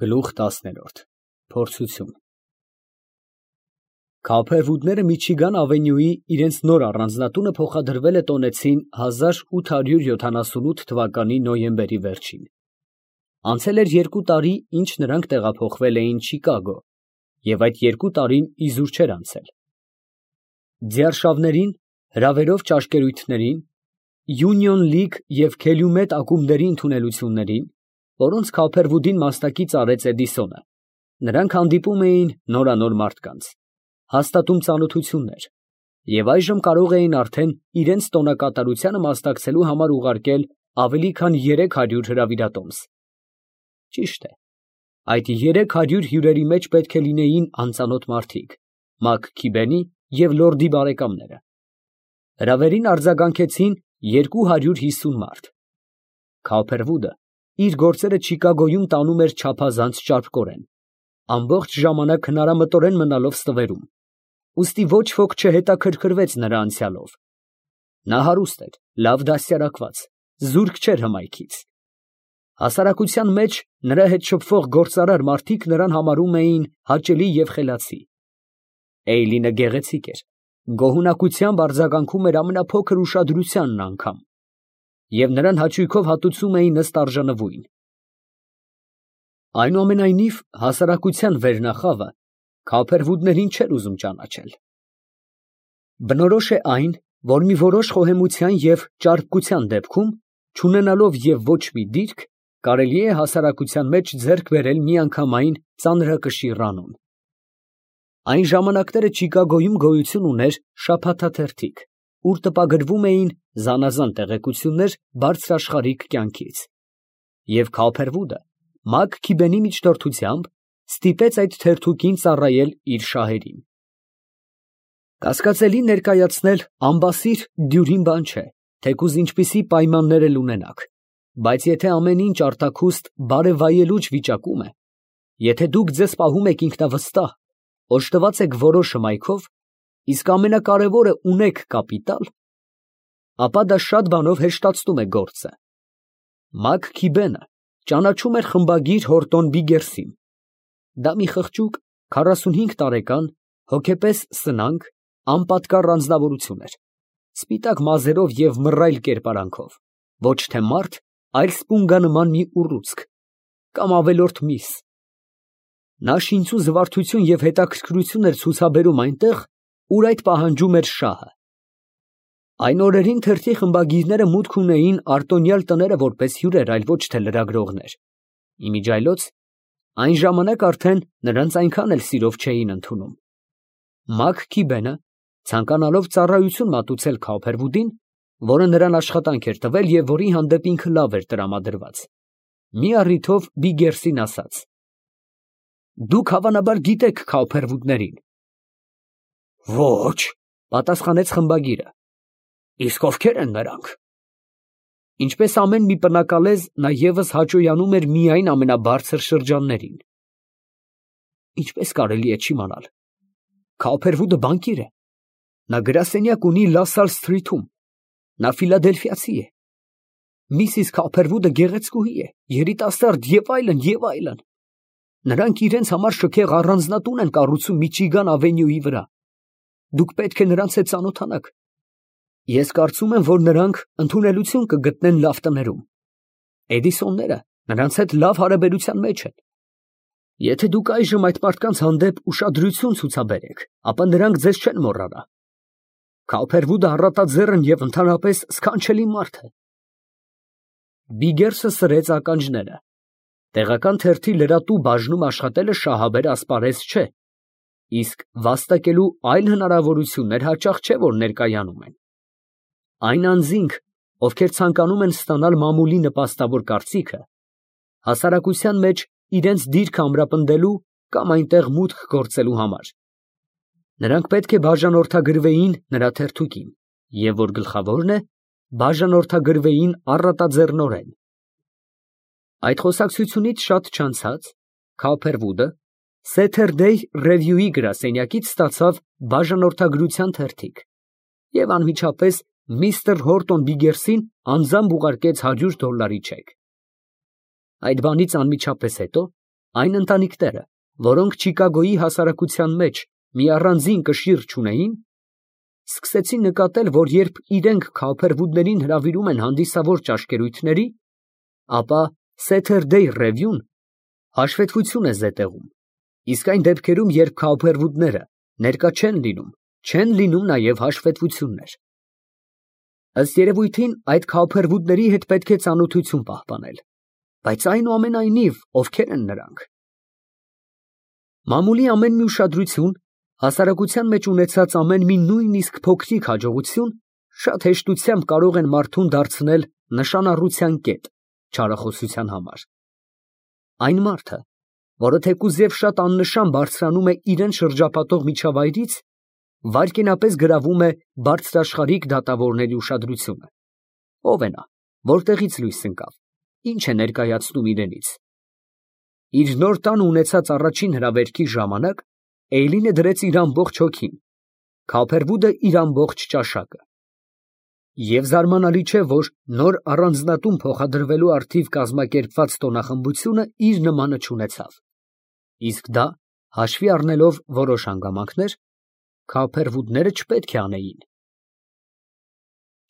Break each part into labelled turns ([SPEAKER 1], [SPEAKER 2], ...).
[SPEAKER 1] Գլուխ 10 Փորձություն Քափերվուդները Միչիգան ավենյուի իրենց նոր առանձնատունը փոխադրվել է տոնեցին 1878 թվականի նոյեմբերի վերջին։ Անցել էր 2 տարի, ինչ նրանք տեղափոխվել էին Չիկագո, և այդ 2 տարին իզուր չէր անցել։ Ձիարշավներին, հրավերով ճաշկերույթներին, Union League և Calumet ակումբների ընդունելություններին, որոնց Քափերվուդին մասնակից արեց Էդիսոնը, նրանք հանդիպում էին նորանոր մարդկանց, հաստատում ծանոթություններ և այժմ կարող էին արդեն իրենց տոնակատարությանը մասնակցելու համար ուղարկել ավելի քան 300 հրավիրատոմս։ Ճիշտ է, այդ 300 հյուրերի մեջ պետք է լինեին անծանոթ մարդիկ, Մակ Քիբենի և լորդի բարեկամները։ Հրավերին արձագանքեցին 250 մարդ։ Քափերվուդը իր գործերը Չիկագոյում տանում էր չափազանց ճարպկորեն, ամբողջ ժամանակ հնարամտորեն մնալով ստվերում, ուստի ոչ ոք չհետաքրքրվեց նրա անցյալով։ Նա հարուստ էր, լավ դաստիարակված, զուրկ չէր հմայքից։ Հասարակության մեջ նրա հետ շփվող գործարար մարդիկ նրան համարում էին հաճելի և խելացի։ Էյլինը գեղեցիկ էր, գոհունակությամբ արձագանքում էր ամենափոքր ուշադրությանն անգամ, և նրան հաճույքով հատուցում էին ըստ արժանվույն։ Այնուամենայնիվ, հասարակության վերնախավը Քափերվուդներին չէր ուզում ճանաչել։ Բնորոշ է այն, որ մի որոշ խոհեմության և ճարպկության դեպքում, չունենալով և ոչ մի դիրք, կարելի է հասարակության մեջ ձեռք բերել միանգամայն ծանրակշիռ անուն։ Այն ժամանակները Չիկագոյում գոյություն ուներ շաբաթաթերթիկ, ուր տպագրվում էին զանազան տեղեկություններ բարձրաշխարհիկ կյանքից, և Քափերվուդը Մակ Քիբենի միջնորդությամբ ստիպեց այդ թերթուկին ծառայել իր շահերին։ Կասկածելի ներկայացնել ամբասիր դյուրին բան չէ, թեկուզ ինչպիսի պայմաններ էլ ունենաք, բայց եթե ամեն ինչ արտաքուստ բարևայելուչ վիճակում է, եթե դուք ձեզ պահում եք ինքնավստահ, օժտված եք որոշ հմայքով, իսկ ամենակարևորը ունեք կապիտալ, ապա դա շատ բանով հեշտացնում է գործը։ Մակ Քիբենը ճանաչում էր խմբագիր Հորտոն Բիգերսին։ Դա մի խղճուկ, 45 տարեկան, հոգեպես սնանկ, անպատկառ անձնավորություն էր, սպիտակ մազերով և մռայլ կերպարանքով, ոչ թե մարդ, այլ սպունգանման մի ուռուցք, կամ ավելորդ միս։ Նա շինծու զվարթություն և հետաքրքրություն էր ցուցաբերում այնտեղ, ուր այդ պահանջում էր շահը։ Այն օրերին թերթի խմբագիրները մուտք ունեին արտոնյալ տները որպես հյուրեր, այլ ոչ թե լրագրողներ։ Իմիջիայլոց, այն ժամանակ արդեն նրանց այնքան էլ սիրով չէին ընդունում։ Մակ Քիբենը, ցանկանալով ծառայություն մատուցել Քափերվուդին, որը նրան աշխատանք էր տվել և որի հանդեպ ինքը լավ էր տրամադրված, մի առիթով Բիգերսին ասաց. «Դուք հավանաբար գիտեք Քափերվուդներին»։ «Ոչ», պատասխանեց խմբագիրը։ «Իսկ ովքեր են նրանք»։ Ինչպես ամեն մի պնակալեզ, նա ևս հաճոյանում էր միայն ամենաբարձր շրջաններին։ «Ինչպես կարելի է չիմանալ. Քափերվուդը բանկիր է, նա գրասենյակ ունի Լասալ Սթրիթում, նա ֆիլադելֆիացի է, Միսիս Քափերվուդը գեղեցկուհի է, երիտասարդ և այլն, և այլն։ Նրանք իրենց համար շքեղ առանձնատուն են կառուցում Միչիգան ավենյուի վրա։ Դուք պետք է նրանց հետ ծանոթանաք։ Ես կարծում եմ, որ նրանք ընդունելություն կգտնեն լավ տներում։ Էդիսոնները նրանց հետ լավ հարաբերության մեջ են։ Եթե դուք այժմ այդ մարդկանց հանդեպ ուշադրություն ցուցաբերեք, ապա նրանք ձեզ չեն մոռանա։ Քափերվուդը առատաձեռն և ընդհանրապես սքանչելի մարդ է»։ Բիգերսը սրեց ականջները։ Տեղական թերթի լրատու բաժնում աշխատելը շահաբեր ասպարեզ չէ, իսկ վաստակելու այլ հնարավորություններ հաճախ չէ, որ ներկայանում են։ Այն անձինք, ովքեր ցանկանում են ստանալ մամուլի նպաստավոր կարծիքը, հասարակության մեջ իրենց դիրքը ամրապնդելու կամ այնտեղ մուտք գործելու համար, նրանք պետք է բաժանորդագրվեին նրա թերթուկին, և որ գլխավորն է, բաժանորդագրվեին առատաձեռնորեն։ Այդ խոսակցությունից շատ չանցած Քափերվուդը Saturday Review-ի գրասենյակից ստացավ բաժանորդագրության թերթիկ և անմիջապես միստր Հորտոն Բիգերսին անձամբ ուղարկեց $100 չեք։ Այդ բանից անմիջապես հետո Այն ընտանիքները, որոնք Չիկագոյի հասարակության մեջ մի առանձին կշիռ չունեին, սկսեցին նկատել, որ երբ իրենք քավփերվուդներին հրավիրում են հանդիսավոր ճաշկերույթների, ապա Սեթերդեյ Ռևյուն հաշվետվություն է զետեղում, իսկ այն դեպքերում, երբ քավփերվուդները ներկա չեն լինում նաև հաշվետվություններ։ Ըստ երևույթին, այդ քավփերվուդների հետ պետք է ծանոթություն պահպանել, բայց այնուամենայնիվ, ովքեր են նրանք։ Մամուլի ամեն մի ուշադրություն, հասարակության մեջ ունեցած ամեն մի նույնիսկ փոքրիկ հաջողություն շատ հեշտությամբ կարող են մարդուն դարձնել նշանառության կետ չարախոսության համար։ Այն մարդը, որը թեկուզ և շատ աննշան բարձրանում է իրեն շրջապատող միջավայրից, վայրկենապես գրավում է բարձրաշխարհիկ դատավորների ուշադրությունը։ Ո՞վ է նա, որտեղից լույս ընկավ, ինչ է ներկայացնում իրենից։ Իր նոր տանը ունեցած առաջին հրավերքի ժամանակ Էյլինը դրեց իր ամբողջ հոգին, Քավփերվուդը իր ամբողջ ճաշակը։ Եվ զարմանալի չէ, որ նոր առանձնատուն փոխադրվելու առթիվ կազմակերպված տոնախմբությունը իր նմանը չունեցավ։ Իսկ դա, հաշվի առնելով որոշ հանգամանքներ, քավփերվուդները չպետք է անեին։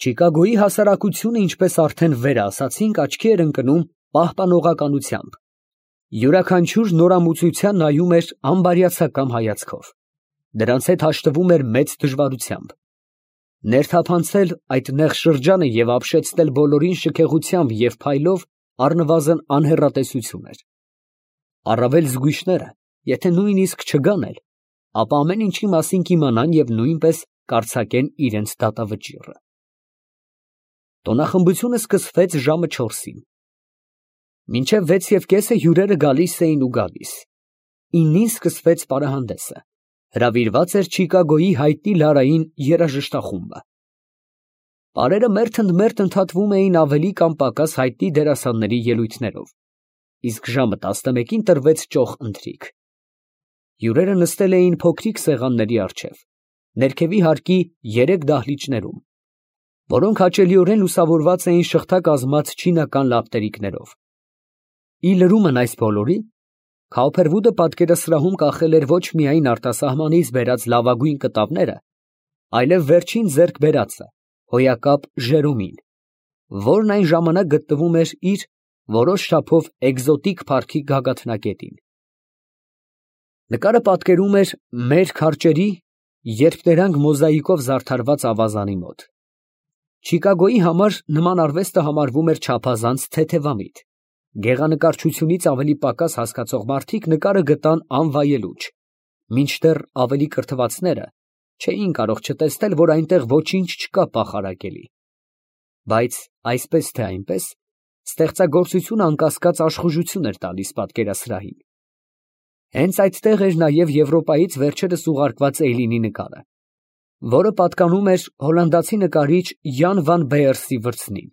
[SPEAKER 1] Չիկագոյի հասարակությունը, ինչպես արդեն վեր ասացինք, աչքի էր ընկնում պահպանողականությամբ։ Յուրաքանչյուր նորամուծության նայում էր անբարյացակամ հայացքով։ Դրանց հետ հաշտվում էր մեծ դժվարությամբ։ Ներթափանցել այդ նեղ շրջանը և ապշեցնել բոլորին շքեղությամբ և փայլով առնվազն անհեռատեսություն էր։ Առավել զգույշները, եթե նույնիսկ չգան էլ, ապա ամեն ինչի մասին կիմանան և նույնպես կարձակեն իրենց դատավճիռը։ Տոնախմբությունը սկսվեց ժամը 4-ին։ Մինչև 6:30 հյուրերը գալիս էին ու գալիս։ 9-ին սկսվեց պարահանդեսը։ Հրավիրված էր Չիկագոյի հայտնի Լարային երաժշտախումբը։ Պարերը մերթ ընդհատվում էին ավելի կամ պակաս հայտնի դերասանների ելույթներով, իսկ ժամը 11-ին տրվեց ճոխ ընթրիք։ Հյուրերը նստել էին փոքրիկ սեղանների առջև, ներքևի հարկի 3 դահլիճներում, որոնք հաճելիորեն լուսավորված էին շղթակազմած չինական լապտերիկներով։ Ի լրումն այս բոլորի, Քավփերվուդը պատկերասրահում կախել էր ոչ միայն արտասահմանից բերած լավագույն կտավները, այլև վերջին ձեռք բերածը, հոյակապ Ժերոմին, որն այն ժամանակ գտնվում էր իր որոշ չափով էկզոտիկ փառքի գագաթնակետին։ Նկարը պատկերում էր մեր քարճերի երկտերանգ մոզաիկով զարդարված ավազանի մոտ։ Չիկագոյի համար նման արվեստը համարվում էր չափազանց թեթևամիտ։ Գեղանկարչությունից ավելի պակաս հասկացող մարդիկ նկարը գտան անվայելուչ, մինչդեռ ավելի կրթվածները չէին կարող չտեսնել, որ այնտեղ ոչինչ չկա պախարակելի։ Բայց այսպես թե այնպես, ստեղծագործությունը անկասկած աշխուժություն էր տալիս պատկերասրահին։ Հենց այդտեղ էր նաև Եվրոպայից վերջերս ուղարկված Էյլինի նկարը, որը պատկանում էր հոլանդացի նկարիչ Յան վան Բեերսի վրձնին։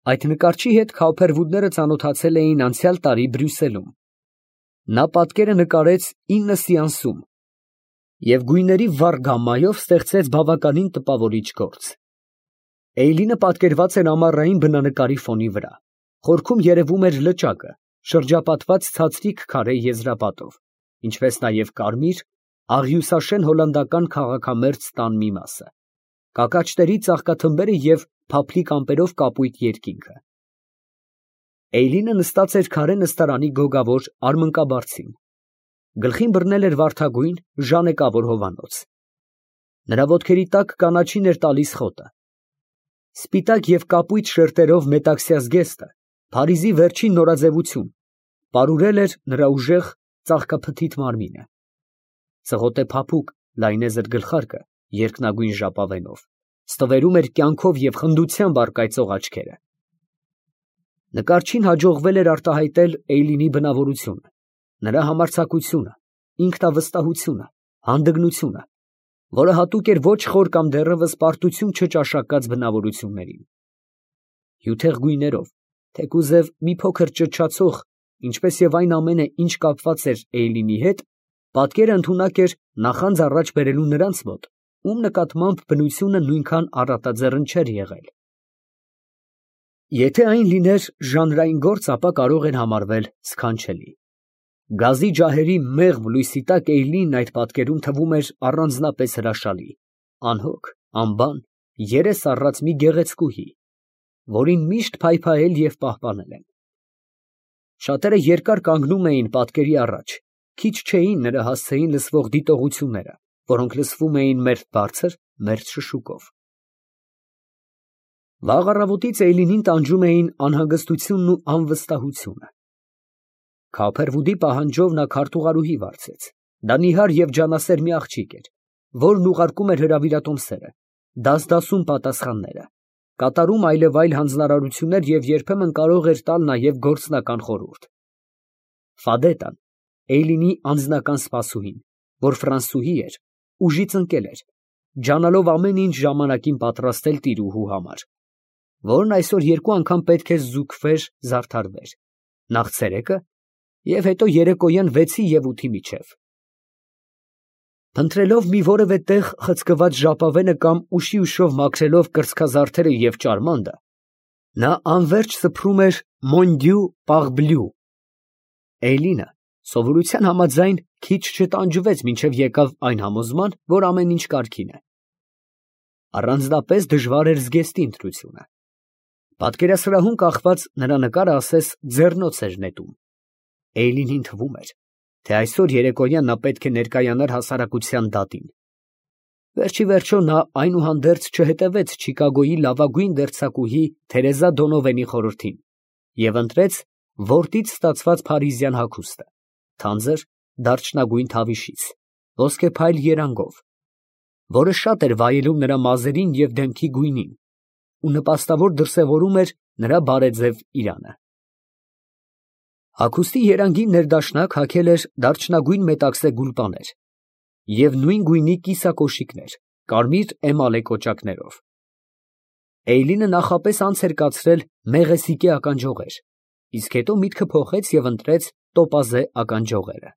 [SPEAKER 1] Այդ նկարչի հետ քավփերվուդները ծանոթացել էին անցյալ տարի Բրյուսելում։ Նա պատկերը նկարեց 9 սեանսում և գույների վառ գամմայով ստեղծեց բավականին տպավորիչ գործ։ Էյլինը պատկերված էր ամառային բնանկարի ֆոնի վրա, խորքում երևում էր լճակը, շրջապատված ցածրիկ քարե եզրապատով, ինչպես նաև կարմիր, աղյուսաշեն հոլանդական քաղաքամերձ տան մի մասը, կակաչների ծաղկաթմբերը և փափլիկ ամպերով կապույտ երկինքը։ Էյլինը նստած էր քարե նստարանի գոգավոր արմնկաբարձին։ Գլխին բռնել էր վարդագույն ժանեկավոր հովանոց։ Նրա ոտքերի տակ կանաչին էր տալիս խոտը։ Սպիտակ և կապույտ շերտերով մետաքսյա զգեստը, Փարիզի վերջին նորաձևություն, պարուրել էր նրա ուժեղ, ծաղկափթիթ մարմինը։ Ծղոտե փափուկ, լայնեզր գլխարկը երկնագույն ժապավենով ստվերում էր կյանքով և խնդությամբ առկայծող աչքերը։ Նկարչին հաջողվել էր արտահայտել Էյլինի բնավորությունը, նրա համարձակությունը, ինքնավստահությունը, հանդգնությունը, որը հատուկ էր ոչ խոր կամ դեռևս պարտություն չճաշակած բնավորություններին։ Հյութեղ գույներով, թեկուզև մի փոքր ճչացող, ինչպես և այն ամենը, ինչ կապված էր Էյլինի հետ, պատկերը ընդունակ էր նախանձ առաջ բերելու նրանց մոտ, ում նկատմամբ բնությունը նույնքան առատաձեռն չէր եղել։ Եթե այն լիներ ժանրային գործ, ապա կարող էր համարվել սքանչելի։ Գազի ջահերի մեղմ լույսի տակ Էյլին այդ պատկերում թվում էր առանձնապես հրաշալի, անհոգ, անբան, երես առած մի գեղեցկուհի, որին միշտ փայփայել և պահպանել են։ Շատերը երկար կանգնում էին պատկերի առաջ, քիչ չէին նրա հասցեին լսվող դիտողությունները, որոնք լսվում էին մերթ բարձր, մերթ շշուկով։ Վաղ առավոտից Էյլինին տանջում էին անհանգստությունն ու անվստահությունը։ Քափերվուդի պահանջով նա քարտուղարուհի վարձեց։ Դա նիհար և ջանասեր մի աղջիկ էր, որն ուղարկում էր հրավիրատոմսերը, դասդասում պատասխանները, կատարում այլևայլ հանձնարարություններ և երբեմն կարող էր տալ նաև գործնական խորհուրդ։ Ֆադետան, Էյլինի անձնական սպասուհին, որ ֆրանսուհի էր, ուժից ընկել էր, ջանալով ամեն ինչ ժամանակին պատրաստել տիրուհու համար, որն այսօր երկու անգամ պետք էր զուգվեր, զարդարվեր, նախ ցերեկը և հետո երեկոյան 6-ի և 8-ի միջև։ Փնտրելով մի որևէ տեղ խցկված ժապավենը կամ ուշի ուշով մաքրելով կրծքազարդերը և ճարմանդը, նա անվերջ սփռում էր «Մոն Դյու պարբլյու»։ Էյլինը սովորության համաձայն քիչ չտանջվեց, մինչև եկավ այն համոզման, որ ամեն ինչ կարգին է։ Առանձնապես դժվար էր զգեստի ընտրությունը։ Պատկերասրահում կախված նրա նկարը ասես ձեռնոց էր նետում։ Էյլինին թվում էր, թե այսօր երեկոյան նա պետք է ներկայանար հասարակության դատին։ Վերջ ի վերջո նա այնուհանդերձ չհետևեց Չիկագոյի լավագույն դերձակուհի Թերեզա Դոնովենի խորհրդին և ընտրեց որտից ստացված փարիզյան հագուստը, թանձր դարչնագույն թավիշից, ոսկեփայլ երանգով, որը շատ էր վայելում նրա մազերին և դեմքի գույնին ու նպաստավոր դրսևորում էր նրա բարեձև իրանը։ Հագուստի երանգին ներդաշնակ հագել էր դարչնագույն մետաքսե գուլպաներ և նույն գույնի կիսակոշիկներ, կարմիր էմալե կոճակներով։ Էյլինը նախապես անց էր կացրել մեղեսիկե ականջողեր, իսկ հետո միտքը փոխեց և ընտրեց տոպազե ականջողերը։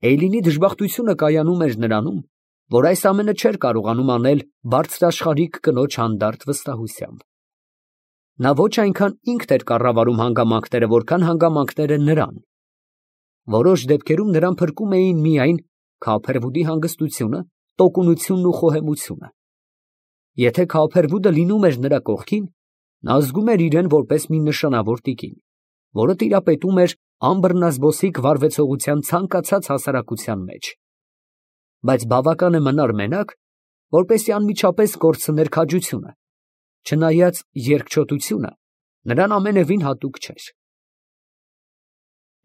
[SPEAKER 1] Էյլինի դժբախտությունը կայանում էր նրանում, որ այս ամենը չէր կարողանում անել բարձրաշխարհիկ կնոջ հանդարտ վստահությամբ։ Նա ոչ այնքան ինքն էր կառավարում հանգամանքները, որքան հանգամանքները նրան։ Որոշ դեպքերում նրան փրկում էին միայն Քափերվուդի հանգստությունը, տոկունությունն ու խոհեմությունը։ Եթե Քափերվուդը լինում էր նրա կողքին, նա զգում էր իրեն որպես մի նշանավոր տիկին, որը տիրապետում էր անբռնազբոսիկ վարվեցողության ցանկացած հասարակության մեջ։ Բայց բավական է մնար մենակ, որպեսզի անմիջապես կորցներ քաջությունը, չնայած երկչոտությունը նրան ամենևին հատուկ չէր։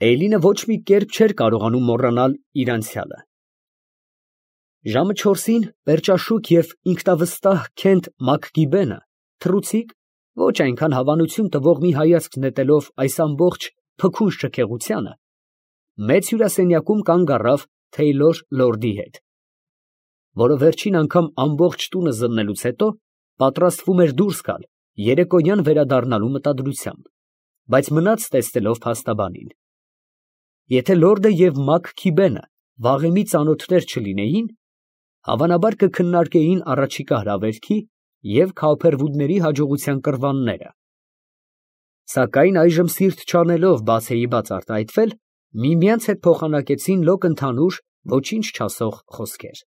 [SPEAKER 1] Էյլինը ոչ մի կերպ չէր կարողանում մոռանալ իր անցյալը։ Ժամը 4-ին պերճաշուք և ինքնավստահ Քենթ Մաքգիբենը թռուցիկ, ոչ այնքան հավանություն տվող մի հայացք նետելով այս ամբողջ փքուն շքեղությանը, մեծ հյուրասենյակում կանգ առավ Թեյլոր լորդի հետ, որը վերջին անգամ ամբողջ տունը զննելուց հետո պատրաստվում էր դուրս գալ երեկոյան վերադառնալու մտադրությամբ, բայց մնաց տեսնելով փաստաբանին։ Եթե լորդը և Մաքգիբենը վաղեմի ծանոթներ չլինեին, հավանաբար կքննարկեին առաջիկա հրավերքի և Քափերվուդների հաջողության կռվանները, սակայն այժմ սիրտ չանելով բացեիբաց արտահայտվել, միմյանց հետ փոխանակեցին լոկ ընդհանուր, ոչինչ չասող խոսքեր։